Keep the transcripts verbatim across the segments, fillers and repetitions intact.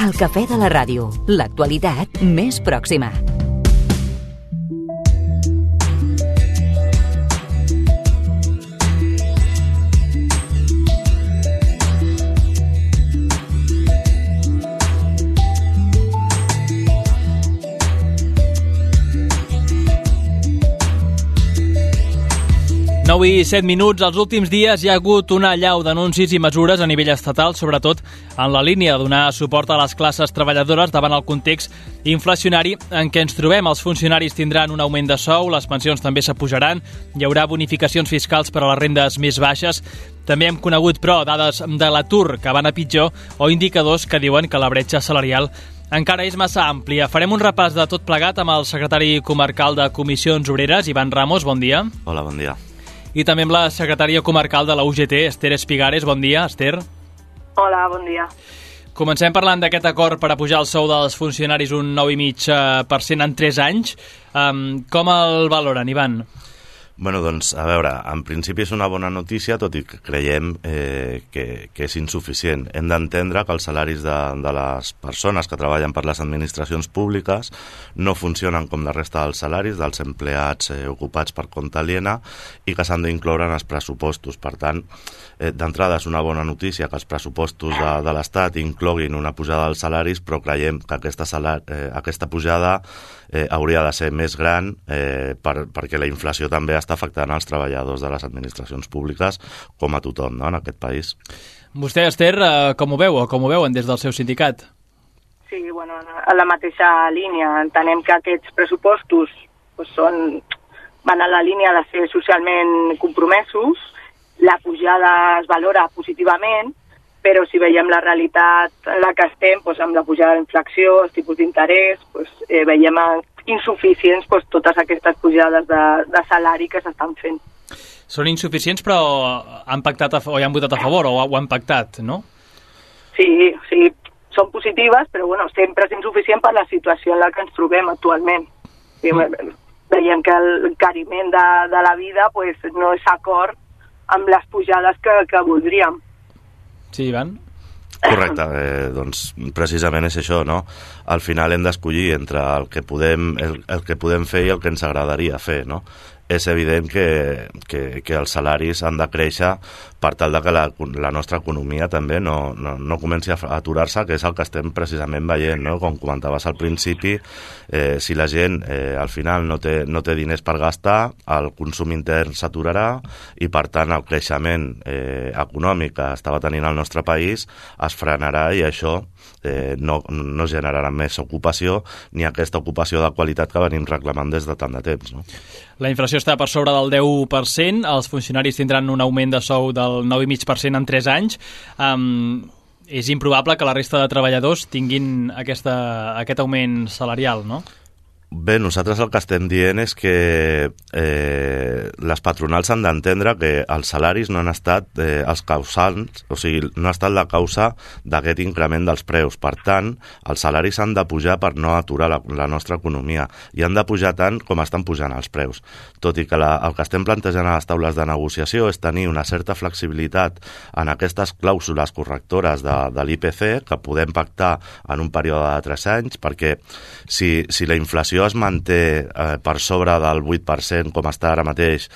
El cafè de la ràdio, l'actualitat més pròxima. nou i set minuts. Els últims dies hi ha hagut una allau d'anuncis i mesures a nivell estatal, sobretot en la línia de donar suport a les classes treballadores davant el context inflacionari en què ens trobem. Els funcionaris tindran un augment de sou, les pensions també s'apujaran, hi haurà bonificacions fiscals per a les rendes més baixes. També hem conegut, però, dades de l'atur que van a pitjor o indicadors que diuen que la bretxa salarial encara és massa àmplia. Farem un repàs de tot plegat amb el secretari comarcal de Comissions Obreres, Ivan Ramos. Bon dia. Hola, bon dia. I també amb la secretària comarcal de la U G T, Esther Espigares. Bon dia, Esther. Hola, bon dia. Comencem parlant d'aquest acord per a pujar el sou dels funcionaris un nou coma cinc per cent en tres anys. Um, com el valoren, Ivan? Bueno, doncs, a veure, en principi és una bona notícia, tot i que creiem eh, que, que és insuficient. Hem d'entendre que els salaris de, de les persones que treballen per les administracions públiques no funcionen com la resta dels salaris dels empleats eh, ocupats per compte aliena i que s'han d'incloure en els pressupostos. Per tant, eh, d'entrada és una bona notícia que els pressupostos de, de l'Estat incloguin una pujada dels salaris, però creiem que aquesta, salar, eh, aquesta pujada eh, hauria de ser més gran eh, per, perquè la inflació també està afectant els treballadors de les administracions públiques com a tothom, no?, en aquest país. Vostè, Esther, eh, com ho veu o com ho veuen des del seu sindicat? Sí, bueno, a la mateixa línia. Entenem que aquests pressupostos pues, són, van a la línia de ser socialment compromesos, la pujada es valora positivament, però si veiem la realitat en la que estem, doncs, amb la pujada de la inflació, els tipus d'interès, doncs, eh, veiem insuficients doncs, totes aquestes pujades de, de salari que s'estan fent. Són insuficients, però han pactat a, o hi han votat a favor o ho han pactat, no? Sí, sí, són positives, però bueno, sempre és insuficient per la situació en la que ens trobem actualment. Sí, mm. Veiem que l'encariment de, de la vida pues, no és acord amb les pujades que, que voldríem. Sí, Ivan? Correcte, eh, doncs precisament és això, no? Al final hem d'escollir entre el que podem, el, el que podem fer i el que ens agradaria fer, no? És evident que, que, que els salaris han de créixer per tal de que la, la nostra economia també no, no, no comenci a aturar-se, que és el que estem precisament veient, no? Com comentaves al principi, eh, si la gent eh, al final no té, no té diners per gastar, el consum intern s'aturarà i per tant el creixement eh, econòmic que estava tenint el nostre país es frenarà i això eh, no, no generarà més ocupació ni aquesta ocupació de qualitat que venim reclamant des de tant de temps, no? La inflació està per sobre del deu per cent, els funcionaris tindran un augment de sou del nou coma cinc per cent en tres anys. Um, és improbable que la resta de treballadors tinguin aquesta, aquest augment salarial, no? Bé, nosaltres el que estem dient és que eh, les patronals han d'entendre que els salaris no han estat eh, els causants, o sigui, no ha estat la causa d'aquest increment dels preus. Per tant, els salaris han de pujar per no aturar la, la nostra economia i han de pujar tant com estan pujant els preus. Tot i que la, el que estem plantejant a les taules de negociació és tenir una certa flexibilitat en aquestes clàusules correctores de, de l'I P C que podem pactar en un període de tres anys, perquè si, si la inflació es manté eh, per sobre del vuit per cent com està ara mateix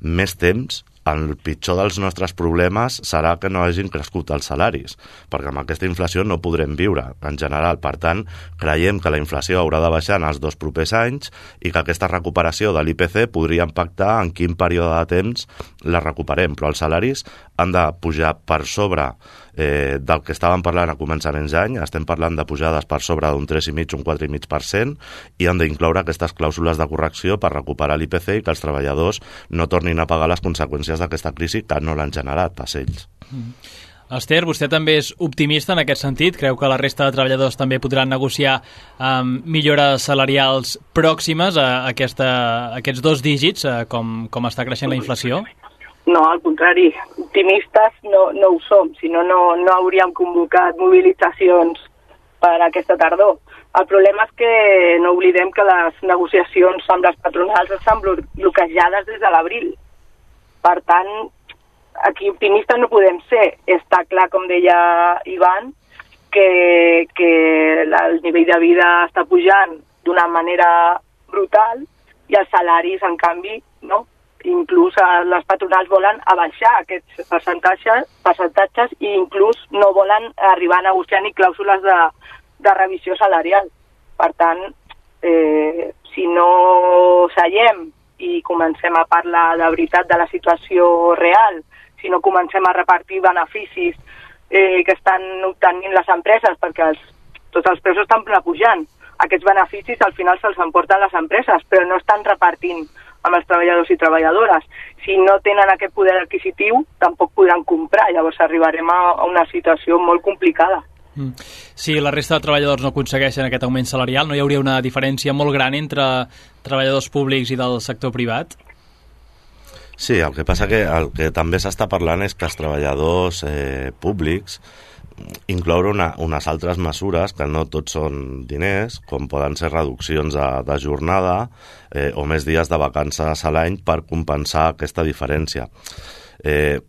més temps, el pitjor dels nostres problemes serà que no hagin crescut els salaris, perquè amb aquesta inflació no podrem viure en general. Per tant, creiem que la inflació haurà de baixar en els dos propers anys i que aquesta recuperació de l'I P C podria impactar en quin període de temps la recuperem, però els salaris han de pujar per sobre eh, del que estàvem parlant a començaments d'any. Estem parlant de pujades per sobre d'un tres coma cinc, un quatre coma cinc per cent i han d'incloure aquestes clàusules de correcció per recuperar l'I P C i que els treballadors no tornin a pagar les conseqüències d'aquesta crisi que no l'han generat pas ells. Mm. Esther, vostè també és optimista en aquest sentit? Creu que la resta de treballadors també podran negociar um, millores salarials pròximes a, aquesta, a aquests dos dígits, uh, com, com està creixent la inflació? No, al contrari, optimistes no, no ho som, si no, no hauríem convocat mobilitzacions per aquesta tardor. El problema és que no oblidem que les negociacions amb les patronals estan bloquejades des de l'abril. Per tant, aquí optimistes no podem ser. Està clar, com deia Ivan, que, que el nivell de vida està pujant d'una manera brutal i els salaris, en canvi, no? Inclús les patronals volen abaixar aquests percentatges, percentatges i inclús no volen arribar a negociar ni clàusules de, de revisió salarial. Per tant, eh, si no seiem i comencem a parlar de veritat de la situació real, si no comencem a repartir beneficis eh, que estan obtenint les empreses, perquè els, tots els preus estan pujant, aquests beneficis al final se'ls emporten les empreses, però no estan repartint amb els treballadors i treballadores. Si no tenen aquest poder adquisitiu, tampoc podran comprar. Llavors arribarem a una situació molt complicada. Mm. Si la resta de treballadors no aconsegueixen aquest augment salarial, no hi hauria una diferència molt gran entre treballadors públics i del sector privat? Sí, el que passa que el que també s'està parlant és que els treballadors eh, públics incloure una, unes altres mesures que no tots són diners, com poden ser reduccions de, de jornada eh, o més dies de vacances a l'any per compensar aquesta diferència. Eh,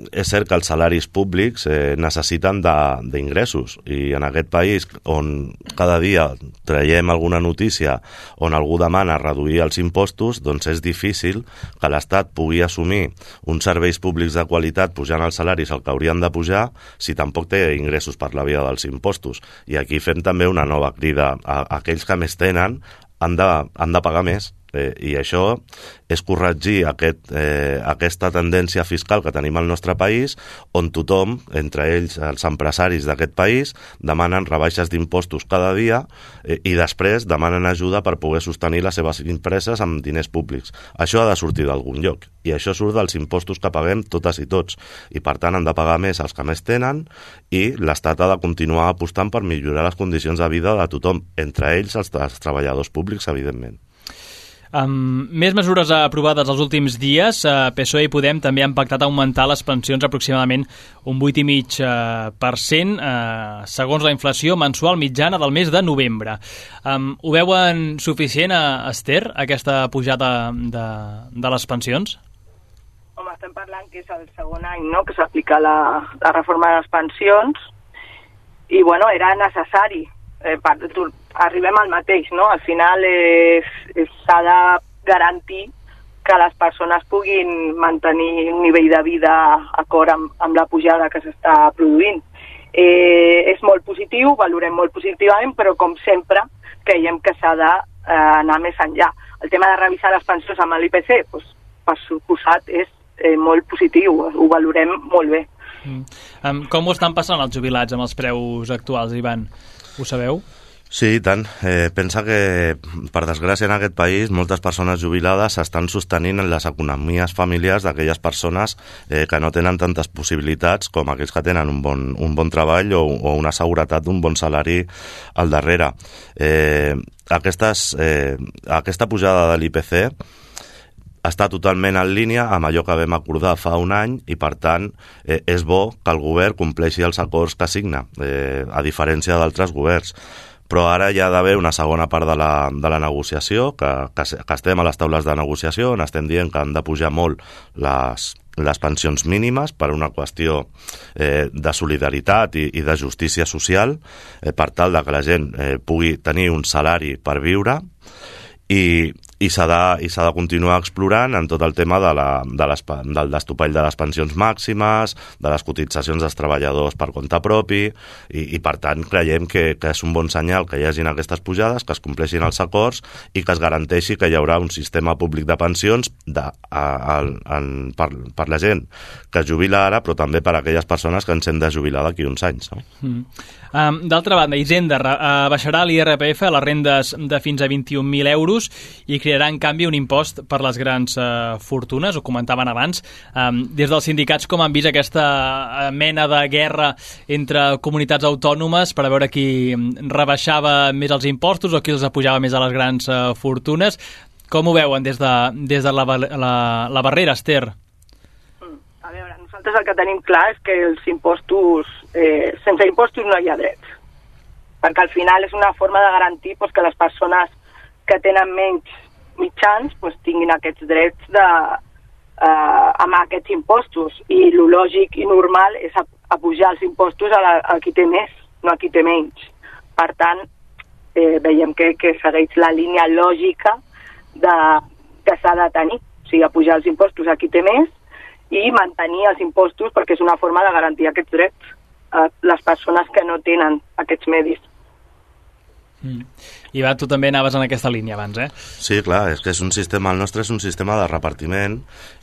és cert que els salaris públics eh, necessiten d'ingressos i en aquest país on cada dia traiem alguna notícia on algú demana reduir els impostos, doncs és difícil que l'Estat pugui assumir uns serveis públics de qualitat pujant els salaris el que haurien de pujar si tampoc té ingressos per la via dels impostos. I aquí fem també una nova crida a, a aquells que més tenen han de, han de pagar més. Eh, i això és corregir aquest, eh, aquesta tendència fiscal que tenim al nostre país on tothom, entre ells els empresaris d'aquest país, demanen rebaixes d'impostos cada dia eh, i després demanen ajuda per poder sostenir les seves empreses amb diners públics. Això ha de sortir d'algun lloc i això surt dels impostos que paguem totes i tots i per tant han de pagar més els que més tenen i l'Estat ha de continuar apostant per millorar les condicions de vida de tothom, entre ells els, els treballadors públics, evidentment. Amb més mesures aprovades els últims dies, eh, P S O E i Podem també han pactat augmentar les pensions aproximadament un vuit coma cinc per cent eh, segons la inflació mensual mitjana del mes de novembre. Um, ho veuen suficient, a Esther, aquesta pujada de, de les pensions? Home, estem parlant que és el segon any, no?, que s'aplica la, la reforma de les pensions i, bueno, era necessari. Eh, per, arribem al mateix, no? Al final s'ha de garantir que les persones puguin mantenir un nivell de vida acord amb, amb la pujada que s'està produint. Eh, és molt positiu, valorem molt positivament, però com sempre creiem que s'ha d'anar eh, més enllà. El tema de revisar les pensions amb l'I P C, doncs, per suposat, és eh, molt positiu, ho valorem molt bé. Mm. Um, com ho estan passant els jubilats amb els preus actuals, Ivan? Ho sabeu? Sí, i tant. Eh, pensa que, per desgràcia, en aquest país, moltes persones jubilades s'estan sostenint en les economies familiars d'aquelles persones eh, que no tenen tantes possibilitats com aquells que tenen un bon, un bon treball o, o una seguretat d'un bon salari al darrere. Eh, aquestes, eh, aquesta pujada de l'I P C està totalment en línia amb allò que vam acordar fa un any i, per tant, eh, és bo que el govern compleixi els acords que signa, eh, a diferència d'altres governs. Però ara hi ha d'haver una segona part de la, de la negociació, que, que, que estem a les taules de negociació, on estem dient que han de pujar molt les, les pensions mínimes per una qüestió eh, de solidaritat i, i de justícia social, eh, per tal de que la gent eh, pugui tenir un salari per viure i i s'ha de, i s'ha de continuar explorant en tot el tema de la, de les, del destopall de les pensions màximes, de les cotitzacions dels treballadors per compte propi, i, i per tant creiem que, que és un bon senyal que hi hagin aquestes pujades, que es compleixin els acords i que es garanteixi que hi haurà un sistema públic de pensions de, a, a, en, per, per la gent que es jubila ara, però també per a aquelles persones que ens hem de jubilar d'aquí uns anys. No? Mm. Um, D'altra banda, Hisenda uh, baixarà l'I R P F a les rendes de fins a vint-i-un mil euros i crearà, en canvi, un impost per les grans uh, fortunes, ho comentaven abans. Um, des dels sindicats, com han vist aquesta uh, mena de guerra entre comunitats autònomes per a veure qui rebaixava més els impostos o qui els apujava més a les grans uh, fortunes? Com ho veuen des de, des de la, la, la barrera, Esther? A veure, nosaltres el que tenim clar és que els impostos, eh, sense impostos no hi ha drets, perquè al final és una forma de garantir pues, que les persones que tenen menys mitjans pues, tinguin aquests drets de, eh, amb aquests impostos, i el lògic i normal és apujar els impostos a, la, a qui té més, no a qui té menys. Per tant, eh, veiem que, que segueix la línia lògica de, que s'ha de tenir, o sigui, apujar els impostos a qui té més i mantenir els impostos perquè és una forma de garantir aquests drets a les persones que no tenen aquests medis. Mm. Ivan, tu també anaves en aquesta línia abans, eh? Sí, clar, és que és un sistema, el nostre és un sistema de repartiment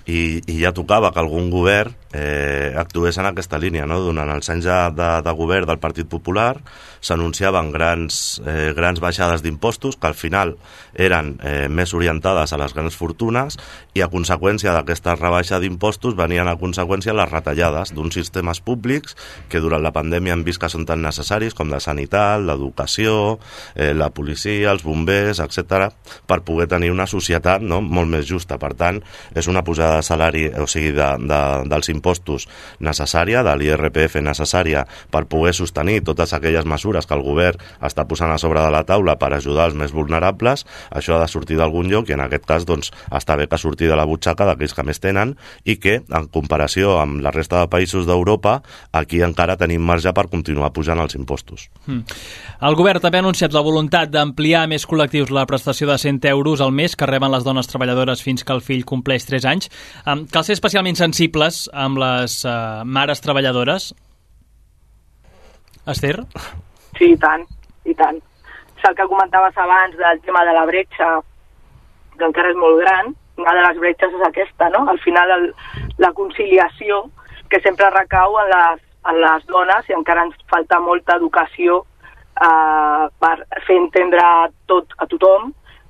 i, i ja tocava que algun govern eh, actués en aquesta línia, no? Durant els anys de, de, de govern del Partit Popular s'anunciaven grans, eh, grans baixades d'impostos que al final eren eh, més orientades a les grans fortunes i a conseqüència d'aquesta rebaixa d'impostos venien a conseqüència les retallades d'uns sistemes públics que durant la pandèmia hem vist que són tan necessaris com la sanitat, l'educació, eh, la policia, els bombers, etcètera, per poder tenir una societat, no?, molt més justa. Per tant, és una pujada de salari, o sigui, de, de, dels impostos necessària, de l'I R P F necessària per poder sostenir totes aquelles mesures que el govern està posant a sobre de la taula per ajudar els més vulnerables. Això ha de sortir d'algun lloc i en aquest cas doncs, està bé que surti de la butxaca d'aquells que més tenen i que, en comparació amb la resta de països d'Europa, aquí encara tenim marge per continuar pujant els impostos. Mm. El govern també ha anunciat la voluntat d'ampliar a més col·lectius la prestació de cent euros al mes que reben les dones treballadores fins que el fill compleix tres anys. Um, cal ser especialment sensibles amb les uh, mares treballadores? Esther? Sí, i tant, i tant. És el que comentaves abans del tema de la bretxa, que encara és molt gran. Una de les bretxes és aquesta, no? Al final, el, la conciliació, que sempre recau en les, en les dones, i encara ens falta molta educació Uh, per fer entendre tot a tothom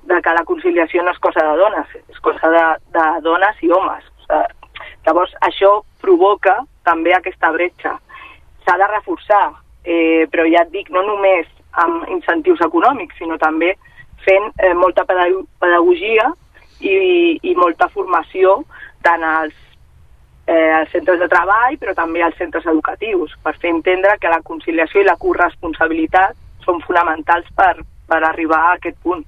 de que la conciliació no és cosa de dones, és cosa de, de dones i homes. Uh, llavors, això provoca també aquesta bretxa. S'ha de reforçar, eh, però ja et dic, no només amb incentius econòmics, sinó també fent eh, molta pedagogia i, i molta formació tant als Eh, als centres de treball, però també als centres educatius, per fer entendre que la conciliació i la corresponsabilitat són fonamentals per, per arribar a aquest punt.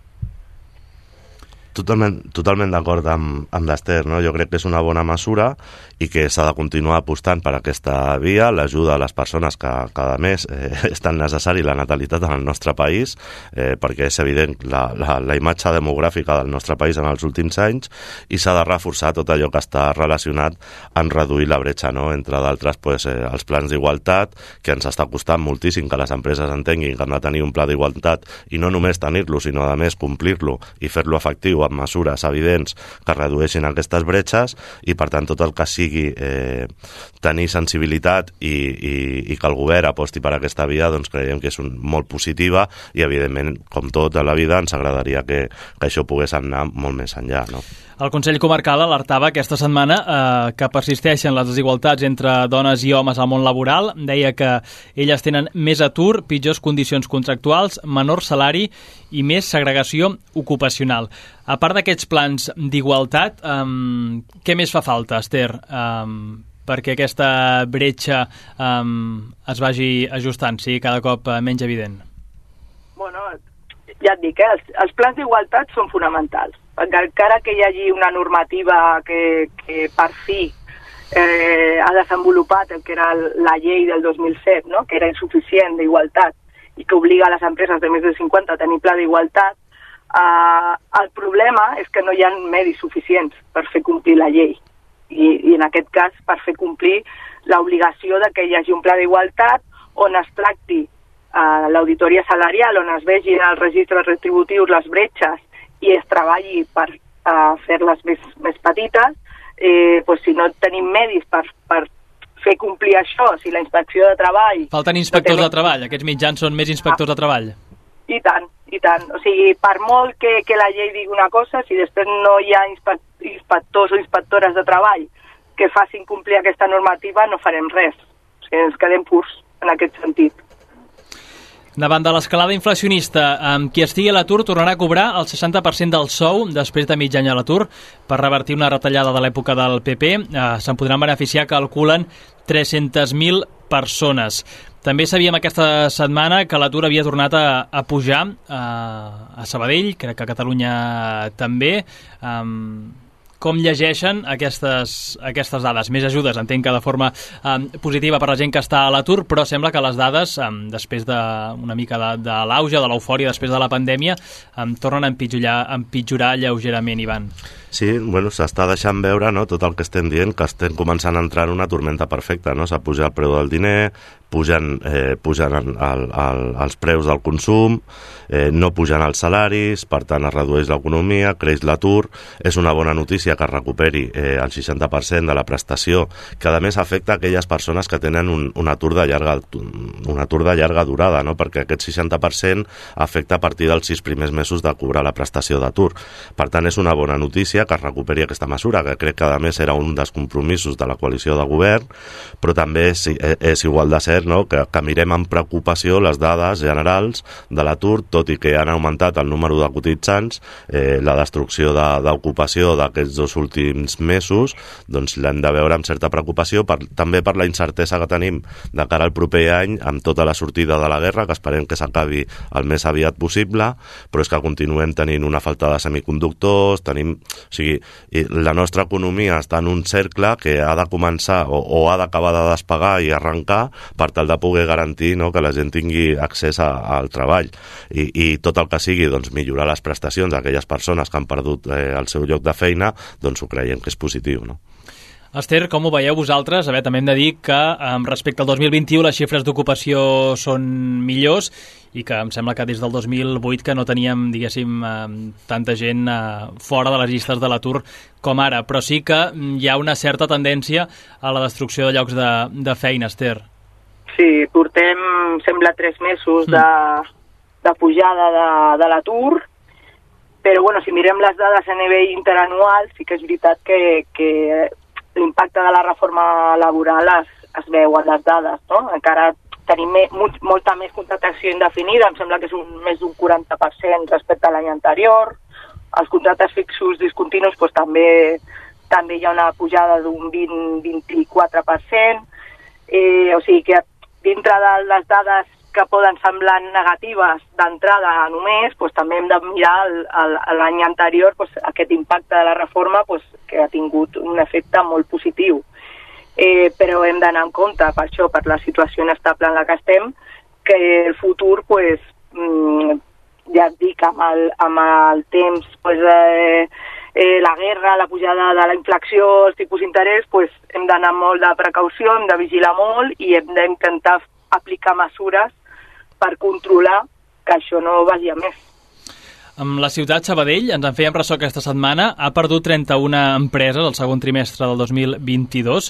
Totalment, totalment d'acord amb, amb l'Ester, no? Jo crec que és una bona mesura i que s'ha de continuar apostant per aquesta via, l'ajuda a les persones que cada mes eh, és tan necessari la natalitat en el nostre país, eh, perquè és evident la, la, la imatge demogràfica del nostre país en els últims anys, i s'ha de reforçar tot allò que està relacionat amb reduir la bretxa, no? Entre d'altres, pues, eh, els plans d'igualtat, que ens està costant moltíssim que les empreses entenguin que han de tenir un pla d'igualtat i no només tenir-lo, sinó a més complir-lo i fer-lo efectiu amb mesures evidents que redueixin aquestes bretxes, i per tant tot el que sigui eh, tenir sensibilitat i, i, i que el govern aposti per aquesta via, doncs creiem que és un, molt positiva, i evidentment, com tot a la vida, ens agradaria que, que això pogués anar molt més enllà, no? El Consell Comarcal alertava aquesta setmana eh, que persisteixen les desigualtats entre dones i homes al món laboral. Deia que elles tenen més atur, pitjors condicions contractuals, menor salari i més segregació ocupacional. A part d'aquests plans d'igualtat, eh, què més fa falta, Esther, eh, perquè aquesta bretxa eh, es vagi ajustant, sigui cada cop menys evident? Bueno, ja et dic, eh, els, els plans d'igualtat són fonamentals. Encara que hi hagi una normativa que, que per fi eh, ha desenvolupat el que era la llei del dos mil set, no? Que era insuficient d'igualtat i que obliga a les empreses de més de cinquanta a tenir pla d'igualtat, eh, el problema és que no hi ha medis suficients per fer complir la llei. I, i en aquest cas per fer complir l'obligació de que hi hagi un pla d'igualtat on es tracti eh, l'auditoria salarial, on es vegin als registres retributius les bretxes i es treballi per uh, fer-les més, més petites, eh, pues si no tenim medis per, per fer complir això, si la inspecció de treball... Falten inspectors no de treball, aquests mitjans són més inspectors ah. de treball. I tant, i tant. O sigui, per molt que, que la llei digui una cosa, si després no hi ha inspectors o inspectores de treball que facin complir aquesta normativa, no farem res. O sigui, ens quedem purs en aquest sentit. Davant de l'escalada inflacionista, amb qui estigui a l'atur tornarà a cobrar el seixanta per cent del sou després de mig any a l'atur per revertir una retallada de l'època del P P. Eh, se'n podran beneficiar, calculen, tres-centes mil persones. També sabíem aquesta setmana que l'atur havia tornat a, a pujar eh, a Sabadell, crec que a Catalunya també. Um, com llegeixen aquestes, aquestes dades. Més ajudes, entenc que de forma eh, positiva per la gent que està a l'atur, però sembla que les dades, eh, després d'una mica de, de l'auge, de l'eufòria, després de la pandèmia, eh, tornen a empitjorar, a empitjorar lleugerament, Ivan. Sí, bueno, s'està deixant veure, no, tot el que estem dient, que estem començant a entrar en una tormenta perfecta, no? S'ha pujat el preu del diner, pugen, eh, pugen el, el, el, els preus del consum, eh, no pugen els salaris, per tant es redueix l'economia, creix l'atur. És una bona notícia que es recuperi eh, el seixanta per cent de la prestació, que a més afecta aquelles persones que tenen un, un, atur de llarga, un atur de llarga durada, no? Perquè aquest seixanta per cent afecta a partir dels sis primers mesos de cobrar la prestació d'atur. Per tant, és una bona notícia que es recuperi aquesta mesura, que crec que a més era un dels compromisos de la coalició de govern, però també és, és igual de cert, no? que, que mirem amb preocupació les dades generals de l'atur, tot i que han augmentat el número de cotitzants, eh, la destrucció d'ocupació d'aquests dos últims mesos, doncs l'hem de veure amb certa preocupació, per, també per la incertesa que tenim de cara al proper any, amb tota la sortida de la guerra, que esperem que s'acabi el més aviat possible, però és que continuem tenint una falta de semiconductors, tenim... O sigui, la nostra economia està en un cercle que ha de començar o, o ha d'acabar de despegar i arrencar per tal de poder garantir, no, que la gent tingui accés a, al treball I, i tot el que sigui, doncs, millorar les prestacions d'aquelles persones que han perdut eh, el seu lloc de feina, doncs ho creiem que és positiu, no? Esther, com ho veieu vosaltres? A veure, també hem de dir que eh, respecte al dos mil vint-i-u les xifres d'ocupació són millors i que em sembla que des del dos mil vuit que no teníem, diguéssim, eh, tanta gent eh, fora de les llistes de l'atur com ara, però sí que hi ha una certa tendència a la destrucció de llocs de, de feina, Esther. Sí, portem, sembla, tres mesos de, de pujada de, de l'atur, però bueno, si mirem les dades a nivell interanual, sí que és veritat que, que l'impacte de la reforma laboral es, es veu en les dades, no? Encara tenim me, molta més contractació indefinida, em sembla que és un, més d'un quaranta per cent respecte a l'any anterior. Els contractes fixos discontinus pues, també, també hi ha una pujada d'un vint a vint-i-quatre per cent. Eh, o sigui que dintre de les dades que poden semblar negatives d'entrada només, pues, també hem de mirar l'any anterior pues, aquest impacte de la reforma pues, que ha tingut un efecte molt positiu. Eh, però hem d'anar en compte, per això, per la situació inestable en la que estem, que el futur, pues, mm, ja et dic, amb el, amb el temps, pues, eh, eh, la guerra, la pujada de la inflació, els tipus d'interès, pues, hem d'anar molt de precaució, hem de vigilar molt i hem d'intentar aplicar mesures per controlar que això no vagi a més. Amb la ciutat Sabadell, ens en fèiem ressò aquesta setmana, ha perdut trenta-una empreses el segon trimestre del dos mil vint-i-dos,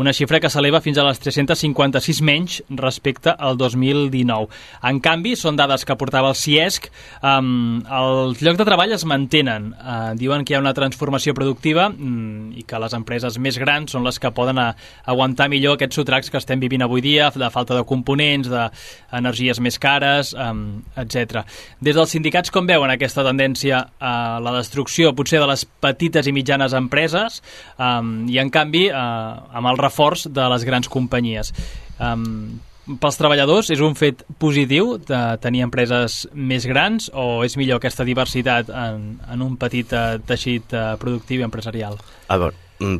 una xifra que s'eleva fins a les tres-cents cinquanta-sis menys respecte al dos mil dinou. En canvi, són dades que portava el CIESC, um, els llocs de treball es mantenen. Uh, diuen que hi ha una transformació productiva um, i que les empreses més grans són les que poden a, aguantar millor aquests sotracs que estem vivint avui dia, de falta de components, d'energies més cares, um, etcètera. Des dels sindicats, com veuen aquesta aquesta tendència a la destrucció potser de les petites i mitjanes empreses um, i en canvi uh, amb el reforç de les grans companyies. Um, pels treballadors és un fet positiu de tenir empreses més grans o és millor aquesta diversitat en, en un petit uh, teixit uh, productiu i empresarial? A veure,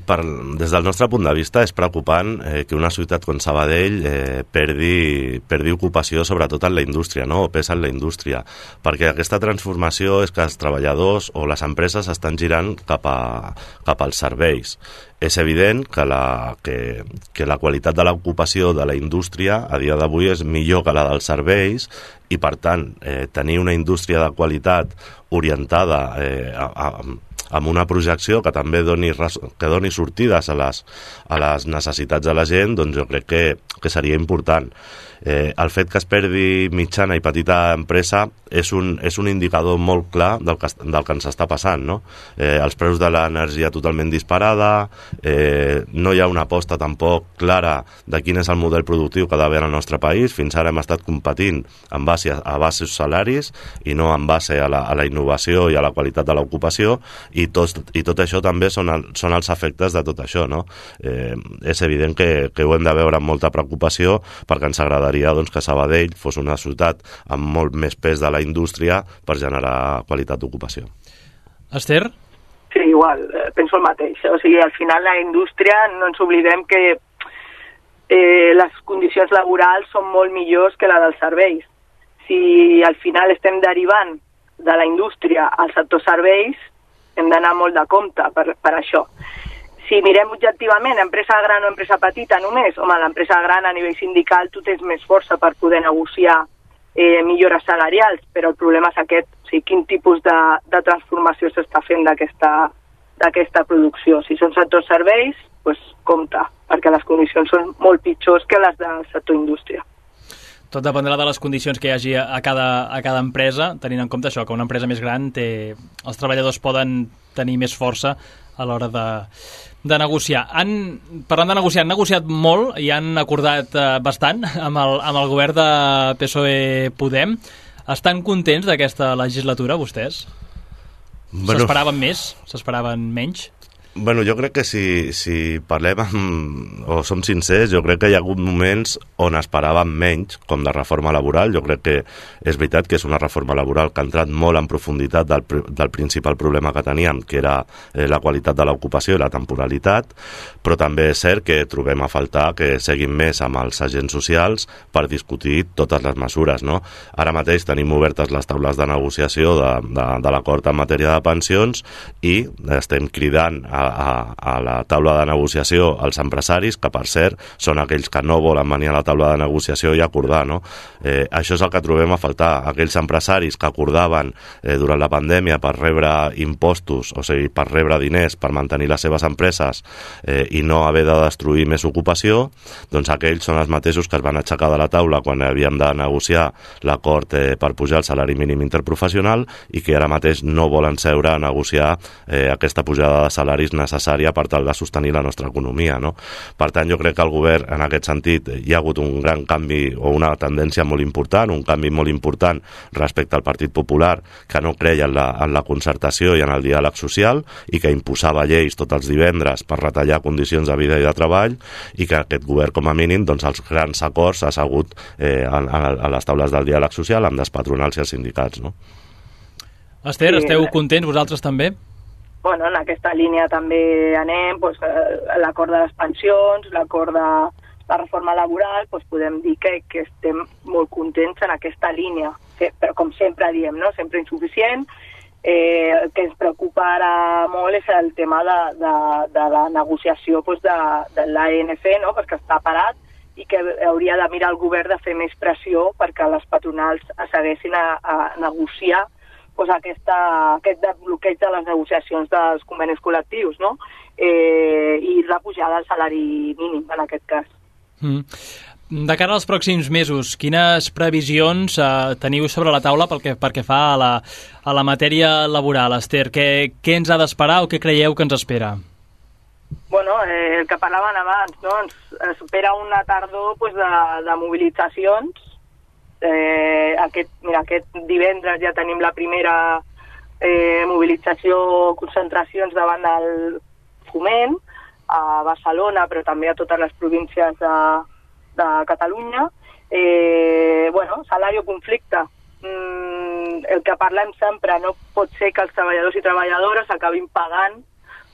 per, des del nostre punt de vista és preocupant eh, que una ciutat com Sabadell eh, perdi, perdi ocupació sobretot en la indústria, no? O pesa en la indústria, perquè aquesta transformació és que els treballadors o les empreses estan girant cap, a, cap als serveis. És evident que la, que, que la qualitat de l'ocupació de la indústria a dia d'avui és millor que la dels serveis i, per tant, eh, tenir una indústria de qualitat orientada eh, a, a amb una projecció que també doni, que doni sortides a les, a les necessitats de la gent, doncs jo crec que, que seria important. Eh, el fet que es perdi mitjana i petita empresa és un, és un indicador molt clar del que, del que ens està passant, no? Eh, els preus de l'energia totalment disparada, eh, no hi ha una aposta tampoc clara de quin és el model productiu que ha d'haver al nostre país. Fins ara hem estat competint en base a, a baixos salaris i no en base a la, a la innovació i a la qualitat de l'ocupació, i tot, i tot això també són, el, són els efectes de tot això, no? Eh, és evident que, que ho hem de veure amb molta preocupació, perquè ens agradaria doncs, que Sabadell fos una ciutat amb molt més pes de la indústria per generar qualitat d'ocupació. Esther? Sí, Sí, igual, penso el mateix. O sigui, al final la indústria, no ens oblidem que eh, les condicions laborals són molt millors que la dels serveis. Si al final estem derivant de la indústria al sector serveis, hem d'anar molt de compte per, per això. Si mirem objectivament empresa gran o empresa petita només, home, l'empresa gran a nivell sindical tu tens més força per poder negociar eh, millores salarials, però el problema és aquest, o sigui, quin tipus de, de transformació s'està fent d'aquesta d'aquesta producció. Si són sectors serveis, doncs compte, perquè les condicions són molt pitjors que les del sector indústria. Tot dependrà de les condicions que hi hagi a cada, a cada empresa, tenint en compte això, que una empresa més gran té, els treballadors poden tenir més força a l'hora de, de negociar. Han, parlant de negociar, han negociat molt i han acordat eh, bastant amb el, amb el govern de P S O E-Podem. Estan contents d'aquesta legislatura, vostès? Bueno, s'esperaven més? S'esperaven menys? Bueno, jo crec que si, si parlem amb, o som sincers, jo crec que hi ha hagut moments on esperàvem menys, com de reforma laboral. Jo crec que és veritat que és una reforma laboral que ha entrat molt en profunditat del, del principal problema que teníem, que era eh, la qualitat de l'ocupació i la temporalitat, però també és cert que trobem a faltar que seguim més amb els agents socials per discutir totes les mesures, no? Ara mateix tenim obertes les taules de negociació de, de, de l'acord en matèria de pensions i estem cridant a A, a la taula de negociació als empresaris, que per cert són aquells que no volen venir a la taula de negociació i acordar, no? Eh, això és el que trobem a faltar, aquells empresaris que acordaven eh, durant la pandèmia per rebre impostos, o sigui, per rebre diners per mantenir les seves empreses eh, i no haver de destruir més ocupació, doncs aquells són els mateixos que es van aixecar de la taula quan havíem de negociar l'acord eh, per pujar el salari mínim interprofessional i que ara mateix no volen seure a negociar eh, aquesta pujada de salaris necessària per tal de sostenir la nostra economia, no? Per tant, jo crec que el govern, en aquest sentit, hi ha hagut un gran canvi o una tendència molt important, un canvi molt important respecte al Partit Popular, que no creia en la, en la concertació i en el diàleg social i que imposava lleis tots els divendres per retallar condicions de vida i de treball, i que aquest govern, com a mínim, doncs els grans acords ha assegut eh, a, a les taules del diàleg social amb les patronals i els sindicats, no? Esther, esteu contents vosaltres també? Bueno, en aquesta línia també anem, doncs, l'acord de les pensions, l'acord de la reforma laboral, doncs podem dir que, que estem molt contents en aquesta línia, però com sempre diem, no? Sempre insuficient. Eh, el que ens preocupa ara molt és el tema de, de, de la negociació doncs, de, de l'A N C, no? Perquè està parat i que hauria de mirar el govern de fer més pressió perquè les patronals segueixin a, a negociar pues aquesta, aquest bloqueig de les negociacions dels convenis col·lectius, no? Eh, i la pujada del salari mínim, en aquest cas. Mm. De cara als pròxims mesos, quines previsions eh, teniu sobre la taula pel que, pel que fa a la, a la matèria laboral, Esther? Què, què ens ha d'esperar o què creieu que ens espera? Bueno, eh, el que parlaven abans, no? Ens espera una tardor pues, de, de mobilitzacions. Eh, aquest, mira, aquest divendres ja tenim la primera eh, mobilització, concentracions davant del Foment a Barcelona, però també a totes les províncies de, de Catalunya. Eh, bueno, salari o conflicte. Mm, el que parlem sempre, no pot ser que els treballadors i treballadores acabin pagant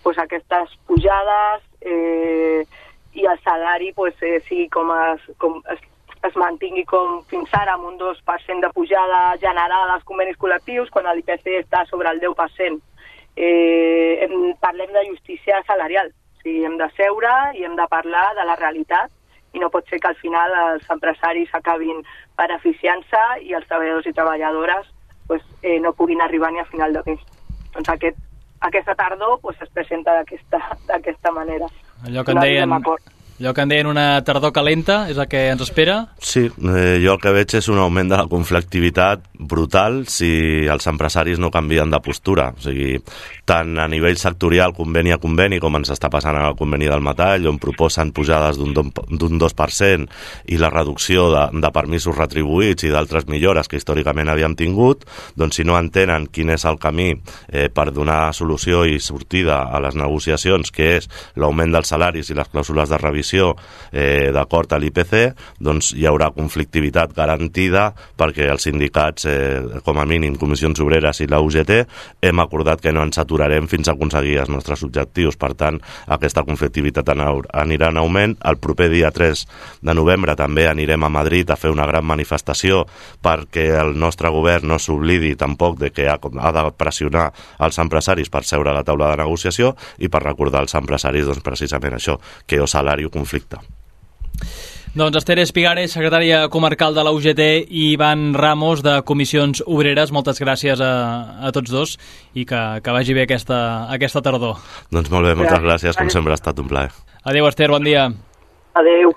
pues, aquestes pujades eh, i el salari pues, eh, sigui com es, com es es mantingui com fins ara amb un dos per cent de pujada general als convenis col·lectius quan l'I P C està sobre el deu per cent. Eh, hem, parlem de justícia salarial. O sigui, hem de seure i hem de parlar de la realitat i no pot ser que al final els empresaris acabin beneficiant-se i els treballadors i treballadores pues, eh, no puguin arribar ni a final de mes. Doncs aquest, aquesta tardor pues, es presenta d'aquesta manera. Allò que en deien... Allò que en deien una tardor calenta, és el que ens espera? Sí, eh, jo el que veig és un augment de la conflictivitat brutal si els empresaris no canvien de postura. O sigui, tant a nivell sectorial, conveni a conveni, com ens està passant en el conveni del metall, on proposen pujades d'un dos per cent i la reducció de, de permisos retribuïts i d'altres millores que històricament havíem tingut, doncs si no entenen quin és el camí eh, per donar solució i sortida a les negociacions, que és l'augment dels salaris i les clàusules de revisió revisió eh, d'acord a l'I P C, doncs hi haurà conflictivitat garantida perquè els sindicats, eh, com a mínim Comissions Obreres i la U G T, hem acordat que no ens aturarem fins a aconseguir els nostres objectius. Per tant, aquesta conflictivitat anirà en augment. El proper dia tres de novembre també anirem a Madrid a fer una gran manifestació perquè el nostre govern no s'oblidi tampoc de que ha, ha de pressionar els empresaris per seure a la taula de negociació i per recordar als empresaris doncs, precisament això, que o salari o conflicte. Doncs Esther Espigares, secretària comarcal de la U G T, i Ivan Ramos, de Comissions Obreres, moltes gràcies a, a tots dos i que, que vagi bé aquesta, aquesta tardor. Doncs molt bé, moltes gràcies, com sempre ha estat un plaer. Adéu, Esther, bon dia. Adéu.